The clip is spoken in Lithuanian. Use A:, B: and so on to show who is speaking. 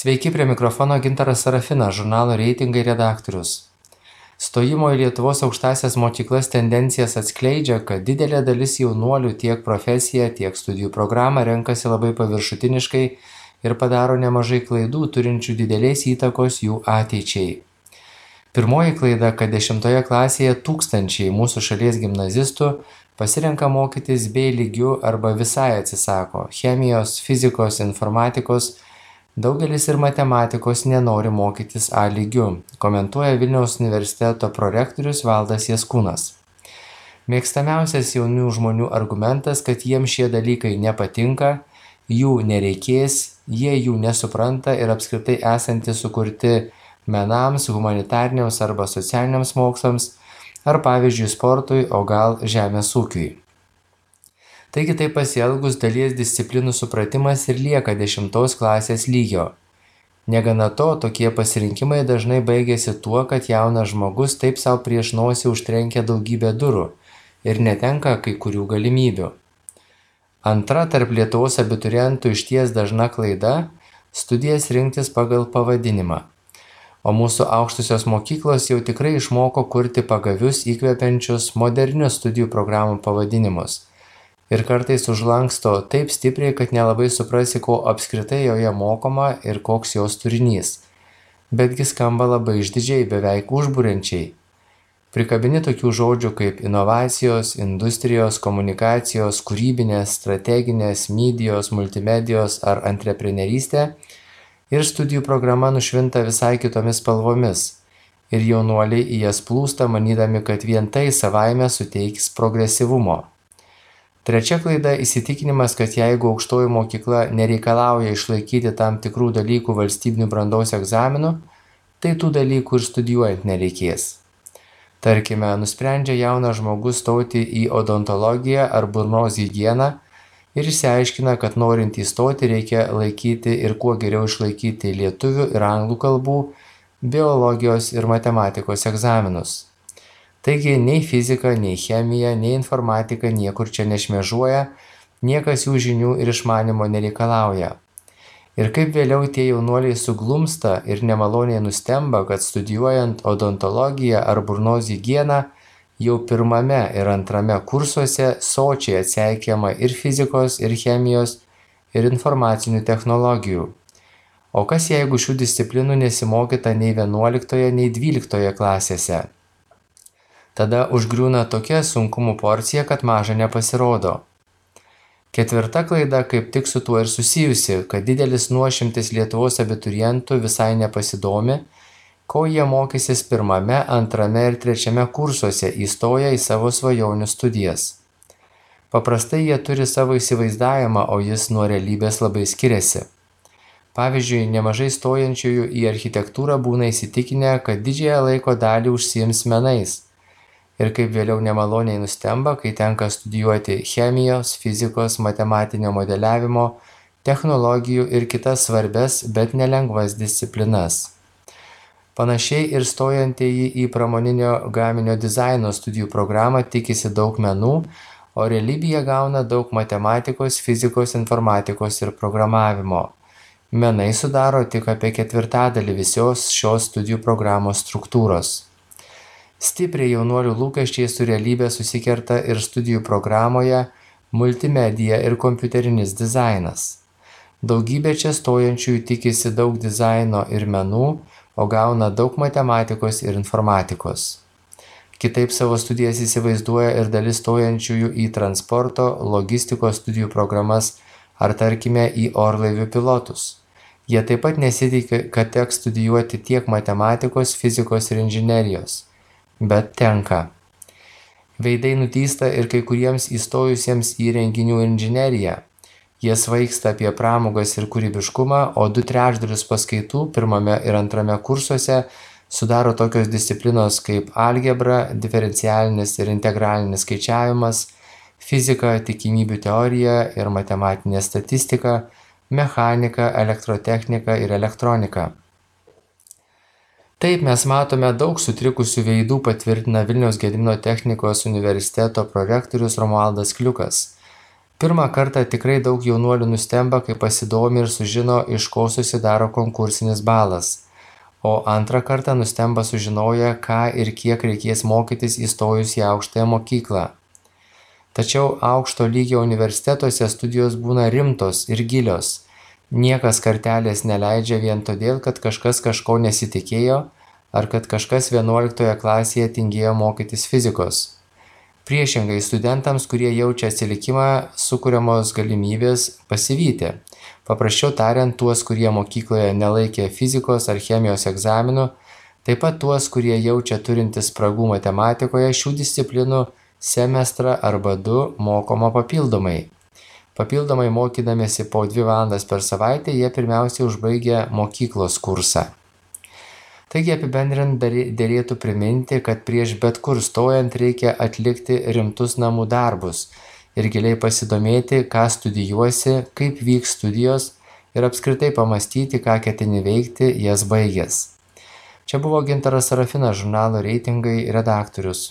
A: Sveiki, prie mikrofono Gintaras Sarafinas, žurnalo Reitingai redaktorius. Stojimo į Lietuvos aukštąsias mokyklas tendencijas atskleidžia, kad didelė dalis jaunuolių tiek profesiją, tiek studijų programą renkasi labai paviršutiniškai ir padaro nemažai klaidų, turinčių didelės įtakos jų ateičiai. Pirmoji klaida, kad 10 klasėje tūkstančiai mūsų šalies gimnazistų pasirenka mokytis B lygiu arba visai atsisako chemijos, fizikos, informatikos. Daugelis ir matematikos nenori mokytis A lygiu, komentuoja Vilniaus universiteto prorektorius Valdas Jaskūnas. Mėgstamiausias jaunų žmonių argumentas, kad jiems šie dalykai nepatinka, jų nereikės, jie jų nesupranta ir apskritai esantys sukurti menams, humanitariniams arba socialiniams mokslams, ar pavyzdžiui sportui, o gal žemės ūkiui. Taigi taip pasielgus dalies disciplinų supratimas ir lieka 10 klasės lygio. Negana to, tokie pasirinkimai dažnai baigėsi tuo, kad jaunas žmogus taip savo prieš nosį užtrenkia daugybę durų ir netenka kai kurių galimybių. Antra tarp Lietuvos abiturientų išties dažna klaida - studijas rinktis pagal pavadinimą. O mūsų aukštosios mokyklos jau tikrai išmoko kurti pagavius, įkvepiančius, modernius studijų programų pavadinimus. Ir kartais užlanksto taip stipriai, kad nelabai suprasi, ko apskritai joje mokoma ir koks jos turinys. Betgi skamba labai išdidžiai, beveik užburiančiai. Prikabini tokių žodžių kaip inovacijos, industrijos, komunikacijos, kūrybinės, strateginės, medijos, multimedijos ar antreprenerystė ir studijų programa nušvinta visai kitomis spalvomis. Ir jaunuoliai į jas plūsta, manydami, kad vien tai savaime suteiks progresyvumo. Trečia klaida - įsitikinimas, kad jeigu aukštoji mokykla nereikalauja išlaikyti tam tikrų dalykų valstybinių brandos egzaminų, tai tų dalykų ir studijuojant nereikės. Tarkime, nusprendžia jaunas žmogus stoti į odontologiją ar burnos higieną ir išsiaiškina, kad norint įstoti reikia laikyti ir kuo geriau išlaikyti lietuvių ir anglų kalbų, biologijos ir matematikos egzaminus. Taigi nei fizika, nei chemija, nei informatika niekur čia nešmėžuoja, niekas jų žinių ir išmanimo nereikalauja. Ir kaip vėliau tie jaunuoliai suglumsta ir nemaloniai nustemba, kad studijuojant odontologiją ar burnos higieną, jau pirmame ir antrame kursuose sočiai atseikiama ir fizikos, ir chemijos, ir informacinių technologijų. O kas jeigu šių disciplinų nesimokyta nei 11, nei 12 klasėse? Tada užgriūna tokia sunkumų porcija, kad maža nepasirodo. Ketvirta klaida kaip tik su tuo ir susijusi, kad didelis nuošimtis Lietuvos abiturientų visai nepasidomi, ko jie mokysis pirmame, antrame ir trečiame kursuose įstoję į savo svajonių studijas. Paprastai jie turi savo įsivaizdavimą, o jis nuo realybės labai skiriasi. Pavyzdžiui, nemažai stojančiųjų į architektūrą būna įsitikinę, kad didžiąją laiko dalį užsiims menais. Ir kaip vėliau nemaloniai nustemba, kai tenka studijuoti chemijos, fizikos, matematinio modeliavimo, technologijų ir kitas svarbias, bet nelengvas disciplinas. Panašiai ir stojantieji į pramoninio gaminio dizaino studijų programą tikisi daug menų, o realybėje gauna daug matematikos, fizikos, informatikos ir programavimo. Menai sudaro tik apie 1/4 visos šios studijų programos struktūros. Stipriai jaunuolių lūkesčiai su realybė susikerta ir studijų programoje multimedija ir kompiuterinis dizainas. Daugybė čia stojančiųjų tikisi daug dizaino ir menų, o gauna daug matematikos ir informatikos. Kitaip savo studijas įsivaizduoja ir dalis stojančiųjų į transporto, logistikos studijų programas ar tarkime į orlaivių pilotus. Jie taip pat nesitikė, kad teks studijuoti tiek matematikos, fizikos ir inžinerijos. Bet tenka. Veidai nutysta ir kai kuriems įstojusiems į renginių inžineriją. Jie svaigsta apie pramogas ir kūrybiškumą, o 2/3 paskaitų pirmame ir antrame kursuose sudaro tokios disciplinos kaip algebra, diferencialinis ir integralinis skaičiavimas, fizika, tikimybių teorija ir matematinė statistika, mechanika, elektrotechnika ir elektronika. Taip mes matome daug sutrikusių veidų, patvirtina Vilniaus Gedimino technikos universiteto prorektorius Romualdas Kliukas. Pirmą kartą tikrai daug jaunuolių nustemba, kai pasidomi ir sužino, iš ko susidaro konkursinis balas. O antrą kartą nustemba sužinoję, ką ir kiek reikės mokytis įstojus į aukštąją mokyklą. Tačiau aukšto lygio universitetuose studijos būna rimtos ir gilios. Niekas kartelės neleidžia vien todėl, kad kažkas kažko nesitikėjo ar kad kažkas 11 klasėje tingėjo mokytis fizikos. Priešingai, studentams, kurie jaučia atsilikimą, sukuriamos galimybės pasivyti. Paprasčiau tariant, tuos, kurie mokykloje nelaikė fizikos ar chemijos egzaminų, taip pat tuos, kurie jaučia turintis spragų matematikoje, šių disciplinų semestrą arba 2 mokoma papildomai. Papildomai mokydamėsi po 2 valandas per savaitę, jie pirmiausiai užbaigia mokyklos kursą. Taigi apibendrinant derėtų priminti, kad prieš bet kur stojant reikia atlikti rimtus namų darbus ir giliai pasidomėti, ką studijuosi, kaip vyks studijos ir apskritai pamastyti, ką ketini veikti jas baigęs. Čia buvo Gintaras Sarafinas, žurnalo Reitingai redaktorius.